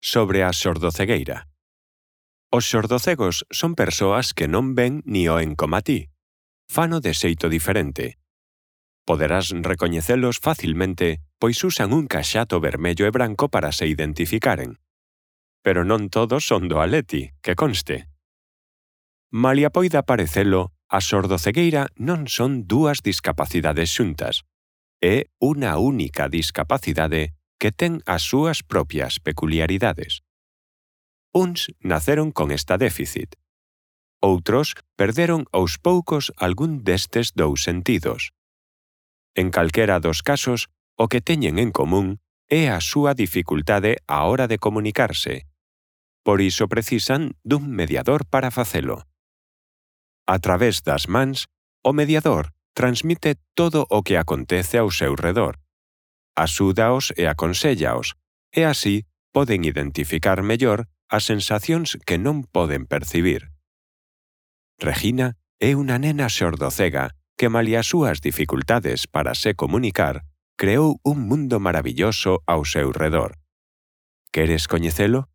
Sobre a xordocegueira. Os xordocegos son persoas que non ven ni oen coma ti. Fano de xeito diferente. Poderás recoñecelos facilmente, pois usan un caxato vermello e branco para se identificaren. Pero non todos son do Atleti, que conste. Malia poida parecelo, a xordocegueira non son dúas discapacidades xuntas. É unha única discapacidade que ten as súas propias peculiaridades. Uns naceron con esta déficit. Outros perderon aos poucos algún destes dous sentidos. En calquera dos casos, o que teñen en común é a súa dificultade á hora de comunicarse. Por iso precisan dun mediador para facelo. A través das mans, o mediador transmite todo o que acontece ao seu redor. Axúdaos e aconséllaos, e así poden identificar mellor as sensacións que non poden percibir. Regina é unha nena xordocega que, malia as súas dificultades para se comunicar, creou un mundo maravilloso ao seu redor. Queres coñecelo?